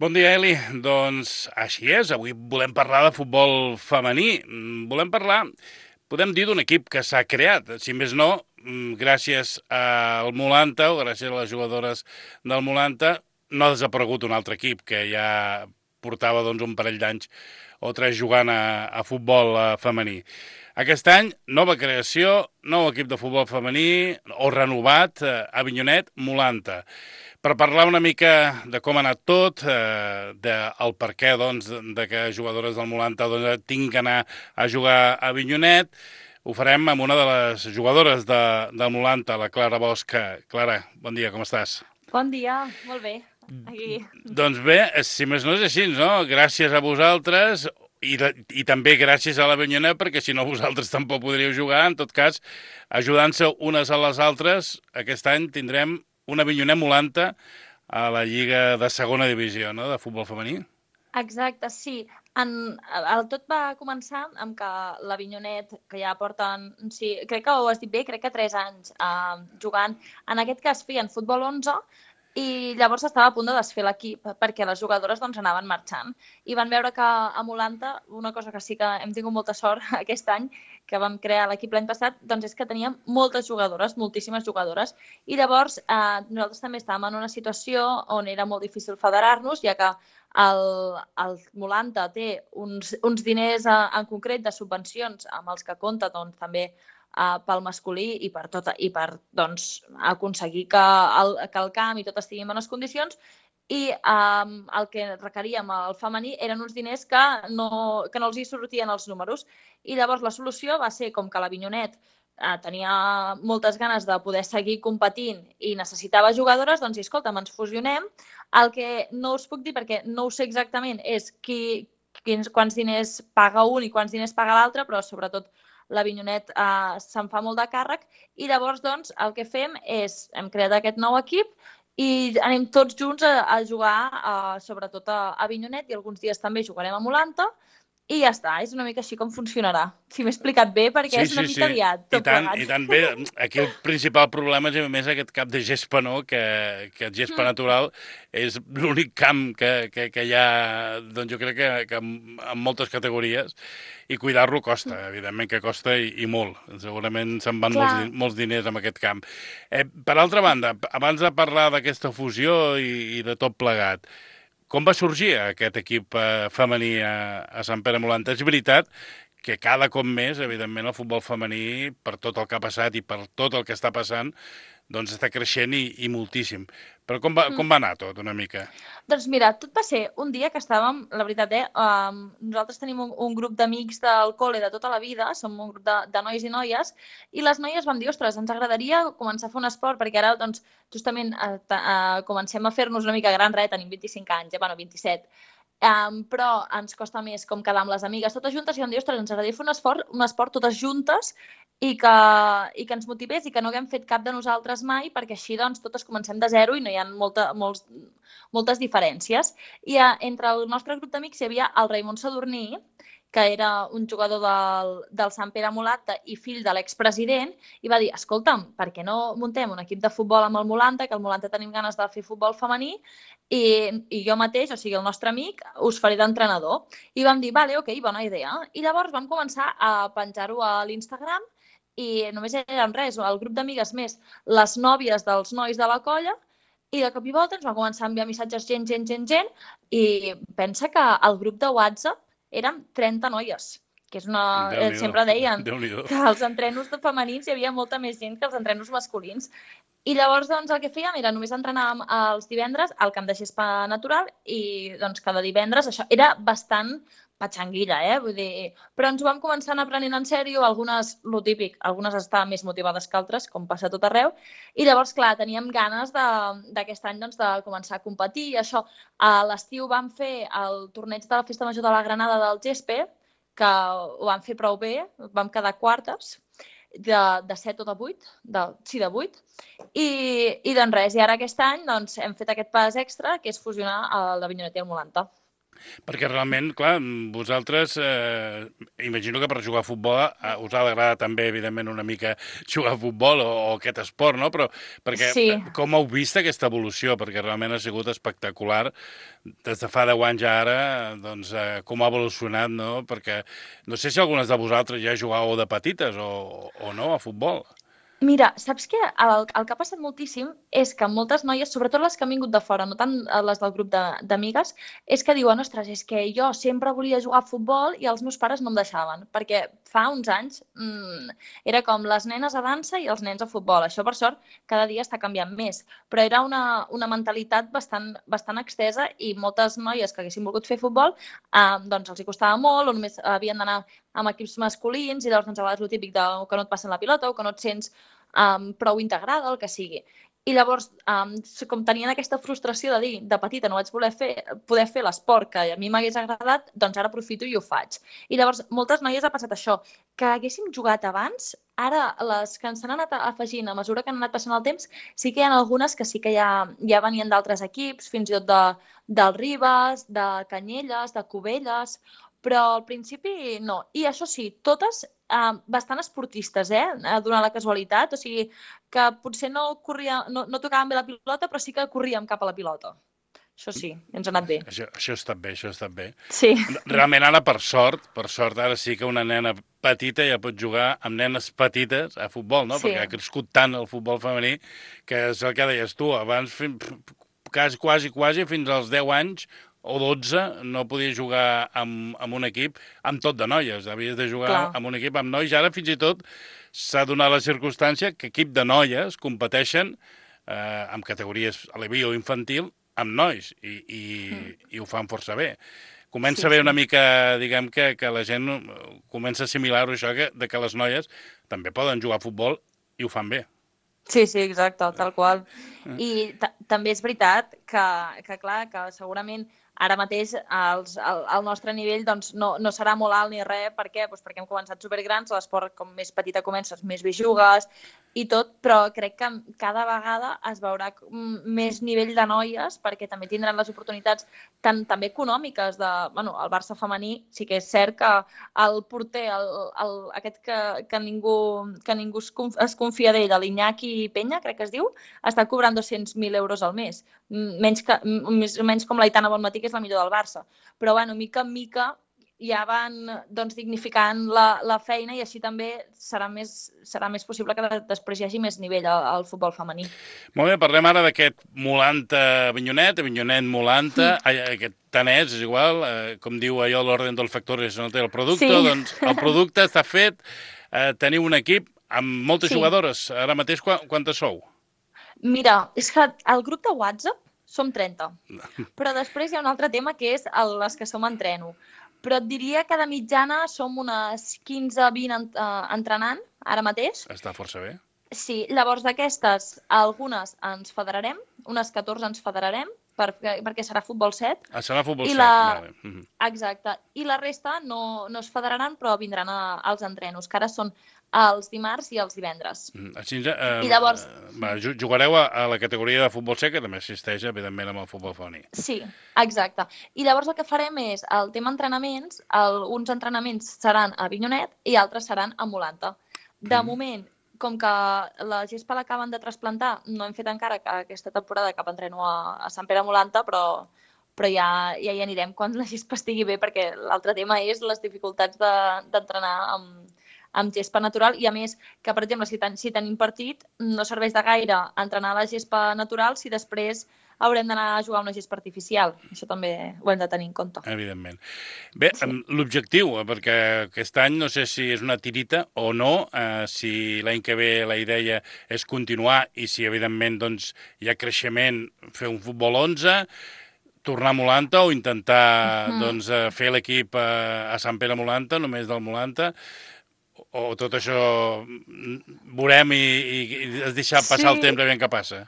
Bon dia, Eli. Doncs així és, avui volem parlar de futbol femení. Volem parlar, podem dir, d'un equip que s'ha creat, si més no, gràcies al Molanta o gràcies a les jugadores del Molanta, no ha desaparegut un altre equip que ja portava doncs, un parell d'anys o tres jugant a futbol femení. Aquest any, nova creació, nou equip de futbol femení, o renovat, Avinyonet, Molanta. Per parlar una mica de com ha anat tot, del per què doncs, de que jugadores del Molanta tinguin que anar a jugar a Avinyonet, ho farem amb una de les jugadores del Molanta, la Clara Bosch. Clara, bon dia, com estàs? Bon dia, molt bé. Aquí. Doncs bé, si més no és així, no? Gràcies a vosaltres i també gràcies a l'Avinyonet, perquè si no vosaltres tampoc podríeu jugar. En tot cas, ajudant-se unes a les altres, aquest any tindrem una Avinyonet Molanta a la Lliga de segona divisió, no?, de futbol femení. Exacte, sí. El tot va començar amb que l'Avinyonet, que ja porten, sí, crec que ho has dit bé, crec que 3 anys jugant, en aquest cas feien futbol 11, i llavors estava a punt de desfer l'equip perquè les jugadores doncs, anaven marxant. I van veure que a Molanta, una cosa que sí que hem tingut molta sort aquest any, que vam crear l'equip l'any passat, doncs és que teníem moltes jugadores, moltíssimes jugadores, i llavors nosaltres també estàvem en una situació on era molt difícil federar-nos, ja que el Molanta té uns diners en concret de subvencions amb els que compta doncs, també pel masculí i per, doncs, aconseguir que el camp i tot estigui en bones condicions, i el que requeríem al femení eren uns diners que no els hi sortien els números. I llavors la solució va ser, com que l'Avinyonet tenia moltes ganes de poder seguir competint i necessitava jugadores, doncs, escolta'm, ens fusionem. El que no us puc dir, perquè no ho sé exactament, és quants diners paga un i quants diners paga l'altre, però sobretot l'Avinyonet se'n fa molt de càrrec, i llavors doncs, el que fem és, hem creat aquest nou equip i anem tots junts a jugar sobretot a Avinyonet, i alguns dies també jugarem a Molanta, i ja està, és una mica així com funcionarà. Si m'he explicat bé, perquè Sí, és una sí, sí. mica liat tot I plegat. tant bé. Aquí el principal problema és, a més, aquest camp de gespa, no?, que el gespa natural és l'únic camp que hi ha, doncs jo crec que en moltes categories, i cuidar-lo costa, evidentment que costa i molt. Segurament se'n van Clar, molts diners amb aquest camp. Per altra banda, abans de parlar d'aquesta fusió i de tot plegat, com va sorgir aquest equip femení a Sant Pere Molanta? És veritat que cada cop més, evidentment, el futbol femení, per tot el que ha passat i per tot el que està passant, doncs està creixent i moltíssim. Però com va anar tot, una mica? doncs mira, tot va ser un dia que estàvem, la veritat, nosaltres tenim un grup d'amics del col·le de tota la vida, som un grup de nois i noies, i les noies vam dir, ostres, ens agradaria començar a fer un esport, perquè ara, doncs, justament comencem a fer-nos una mica grans, tenim 25 anys, bueno, 27, però ens costa més com quedar amb les amigues totes juntes, i vam dir, ostres, ens agradaria fer un esport totes juntes, i que ens motivés i que no haguem fet cap de nosaltres mai, perquè així doncs totes comencem de zero i no hi ha moltes diferències. I entre el nostre grup d'amics hi havia el Raimon Sadurní, que era un jugador del Sant Pere Molanta i fill de l'expresident, i va dir, escolta'm, per què no muntem un equip de futbol amb el Molanta, que el Molanta tenim ganes de fer futbol femení, i jo mateix, o sigui, el nostre amic, us faré d'entrenador. I vam dir, vale, ok, bona idea. I llavors vam començar a penjar-ho a l'Instagram, i només érem res, el grup d'amigues més les nòvies dels nois de la colla, i de cop i volta ens va començar a enviar missatges gent, i pensa que el grup de WhatsApp érem 30 noies, que és una... Déu-n'hi-do, sempre deien Déu-n'hi-do. que als entrenos de femenins hi havia molta més gent que als entrenos masculins. I llavors, doncs, el que fèiem era només entrenàvem els divendres al camp de gespa natural, i doncs cada divendres això era bastant patxanguilla, vull dir, però ens ho vam començar a anar prenent en sèrio, algunes, lo típic, algunes estaven més motivades que altres, com passa a tot arreu, i llavors, clar, teníem ganes d'aquest any doncs, de començar a competir, i això, a l'estiu vam fer el torneig de la Festa Major de la Granada del Gespe, que ho vam fer prou bé, vam quedar quartes, de 7 o de 8, sí, de 8, i doncs res, i ara aquest any doncs, hem fet aquest pas extra, que és fusionar el de Vinyonet i el Molanta. Perquè realment, clar, vosaltres, imagino que per jugar a futbol us ha d'agradar també, evidentment, una mica jugar a futbol o aquest esport, no? Però perquè Sí. com heu vist aquesta evolució? Perquè realment ha sigut espectacular des de fa 10 anys a ara, doncs, com ha evolucionat, no? Perquè no sé si algunes de vosaltres ja jugàveu de petites o no a futbol. Mira, saps què? El que ha passat moltíssim és que moltes noies, sobretot les que han vingut de fora, no tant les del grup d'amigues, és que diuen, ostres, és que jo sempre volia jugar a futbol i els meus pares no em deixaven, perquè fa uns anys era com les nenes a dansa i els nens a futbol. Això, per sort, cada dia està canviant més, però era una mentalitat bastant extesa i moltes noies que haguessin volgut fer futbol doncs els hi costava molt o només havien d'anar amb equips masculins i llavors doncs, a vegades el típic que no et passen la pilota o que no et sents prou integrada, el que sigui. I llavors, com tenien aquesta frustració de dir, de petita no vaig poder fer l'esport que a mi m'hagués agradat, doncs ara aprofito i ho faig. I llavors, moltes noies ha passat això, que haguéssim jugat abans, ara les que s'han anat afegint a mesura que han anat passant el temps, sí que hi ha algunes que sí que ja venien d'altres equips, fins i tot del Ribes, de Canyelles, de Cubelles, però al principi no. I això sí, totes bastant esportistes, donant la casualitat. O sigui, que potser no tocàvem bé la pilota, però sí que corríem cap a la pilota. Això sí, ens ha anat bé. Això ha estat bé, això ha estat bé. Sí. Realment ara, per sort, ara sí que una nena petita ja pot jugar amb nenes petites a futbol, no? Sí. Perquè ha crescut tant el futbol femení que és el que deies tu, abans quasi fins als 10 anys o 12 no podia jugar amb un equip amb tot de noies, havies de jugar amb un equip amb nois. Ara fins i tot s'ha donat la circumstància que equip de noies competeixen amb categories aleví o infantil amb nois i ho fan força bé. Comença a haver una mica, diguem que la gent comença a assimilar-ho això, que les noies també poden jugar a futbol i ho fan bé. Sí, exacte, tal qual. I també és veritat que clar, que segurament ara mateix el nostre nivell doncs, no serà molt alt ni res. Per què? Doncs perquè hem començat supergrans, l'esport com més petita comences, més bé jugues i tot, però crec que cada vegada es veurà més nivell de noies perquè també tindran les oportunitats també econòmiques el Barça femení. Sí que és cert que el porter, aquest que ningú es confia d'ell, l'Iñaki Peña, crec que es diu, està cobrant 200.000 euros al mes. Menys com l'Aitana Bonmatí, que és la millor del Barça. Però, mica en mica ja van dignificant la feina i així també serà més possible que després hi hagi més nivell al futbol femení. Molt bé, parlem ara d'aquest Molanta-Avinyonet, Avinyonet-Molanta, aquest tanès, és igual, com diu allò l'ordre del factor és on té el producte, doncs el producte està fet, teniu un equip amb moltes jugadores. Ara mateix quantes sou? Mira, és que el grup de WhatsApp som 30, però després hi ha un altre tema que és les que som entreno. Però et diria que de mitjana som unes 15-20 entrenant ara mateix. Està força bé. Sí, llavors d'aquestes, algunes ens federarem, unes 14 ens federarem, perquè serà futbol 7. Serà futbol 7, vale. Exacte. I la resta no es federaran, però vindran als entrenos, que ara són els dimarts i els divendres. Així, I llavors... jugareu a la categoria de futbol 7, que també assisteix, evidentment, amb el futbol femení. Sí, exacte. I llavors el que farem és el tema entrenaments, uns entrenaments seran a Avinyonet i altres seran a Molanta. De moment, com que la gespa l'acaben de trasplantar, no hem fet encara aquesta temporada cap entreno a Sant Pere Molanta, però ja hi anirem quan la gespa estigui bé, perquè l'altre tema és les dificultats d'entrenar amb gespa natural i, a més, que, per exemple, si tenim partit, no serveix de gaire entrenar la gespa natural si després haurem d'anar a jugar a una gespa artificial. Això també ho hem de tenir en compte. Evidentment. Bé, l'objectiu, perquè aquest any no sé si és una tirita o no, si l'any que ve la idea és continuar i si, evidentment, doncs, hi ha creixement, fer un futbol 11, tornar a Molanta o intentar fer l'equip a Sant Pere Molanta, només del Molanta, o tot això veurem i es deixar passar el temps aviam què passa?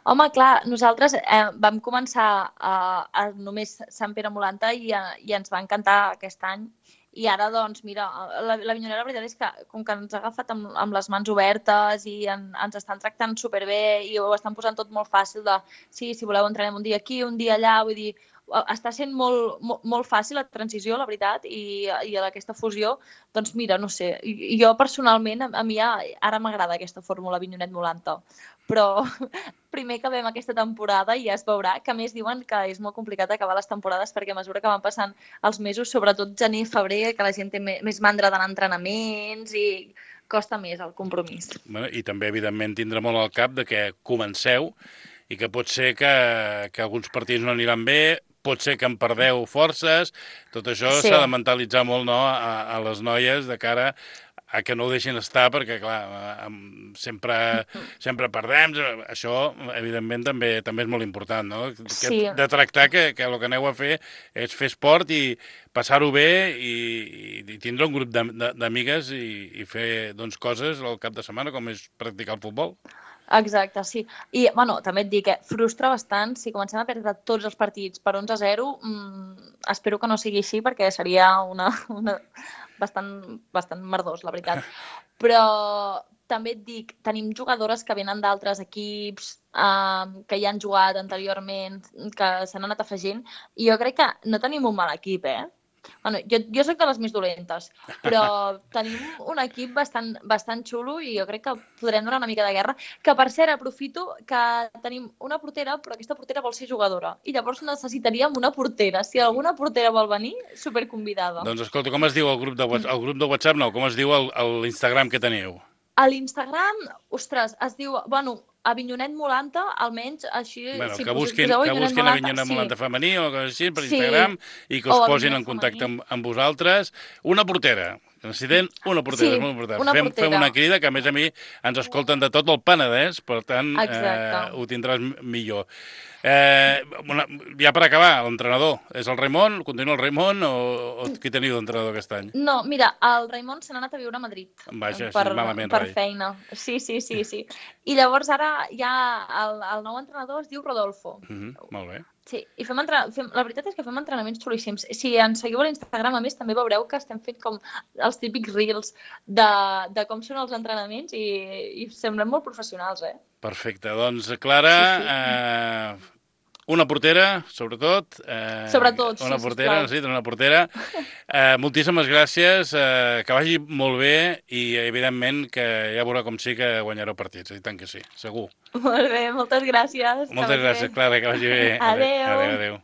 Home, clar, nosaltres vam començar a només Sant Pere Molanta i ens va encantar aquest any. I ara, doncs, mira, l'Avinyonera, la veritat és que com que ens ha agafat amb les mans obertes i ens estan tractant superbé i ho estan posant tot molt fàcil de si voleu entrenem un dia aquí, un dia allà, vull dir, està sent molt fàcil la transició, la veritat, i aquesta fusió, doncs mira, no sé, jo personalment, a mi ara m'agrada aquesta fórmula Avinyonet-Molanta, però primer acabem aquesta temporada i ja es veurà, que a més diuen que és molt complicat acabar les temporades perquè a mesura que van passant els mesos, sobretot gener i febrer, que la gent té més mandra d'anar a entrenaments i costa més el compromís. Bueno, i també, evidentment, tindrà molt al cap de que comenceu i que pot ser que alguns partits no aniran bé, pot ser que en perdeu forces, tot això Sí. s'ha de mentalitzar molt, no?, a les noies de cara a que no ho deixin estar, perquè, clar, sempre perdem. Això, evidentment, també és molt important, no? Sí. De tractar que el que aneu a fer és fer esport i passar-ho bé i tindre un grup d'amigues i fer, doncs, coses al cap de setmana, com és practicar el futbol. Exacte, sí. I, bueno, també et dic que frustra bastant si comencem a perdre tots els partits per 11-0. Espero que no sigui així perquè seria una bastant merdós, la veritat. Però també et dic, tenim jugadores que venen d'altres equips, que ja han jugat anteriorment, que s'han anat afegint, i jo crec que no tenim un mal equip, Bueno, jo soc de les més dolentes, però tenim un equip bastant xulo i jo crec que podrem donar una mica de guerra. Que, per cert, aprofito que tenim una portera, però aquesta portera vol ser jugadora. I llavors necessitaríem una portera. Si alguna portera vol venir, superconvidada. Doncs escolta, com es diu el grup de WhatsApp? El grup de WhatsApp no, com es diu l'Instagram que teniu? A l'Instagram, ostres, es diu, bueno, Avinyonet Molanta, almenys així... Bueno, si que busquin Avinyonet Molanta femení o coses així per Instagram i que us posin en contacte amb vosaltres. Una portera. Necessitem una portera, Sí, molt important. una portera. Fem una crida, que a mi ens escolten de tot el Penedès, per tant, ho tindràs millor. Ja per acabar, l'entrenador, és el Raimon? Continua el Raimon o qui teniu d'entrenador aquest any? No, mira, el Raimon se n'ha anat a viure a Madrid. Vaja, malament, per Rai. feina. Sí. I llavors ara ja el nou entrenador es diu Rodolfo. Molt bé. Sí, i la veritat és que fem entrenaments xulíssims. Si ens seguiu a l'Instagram, a més, també veureu que estem fent com els típics reels de com són els entrenaments i semblem molt professionals, Perfecte. Doncs, Clara, una portera, sobretot. Sobretot, sí, una portera, sisplau. necessita una portera. Moltíssimes gràcies, que vagi molt bé i, evidentment, que ja veurà com sí que guanyareu partits. I tant que sí, segur. Molt bé, moltes gràcies. Moltes gràcies, Clara, que vagi bé. Adéu. Adéu.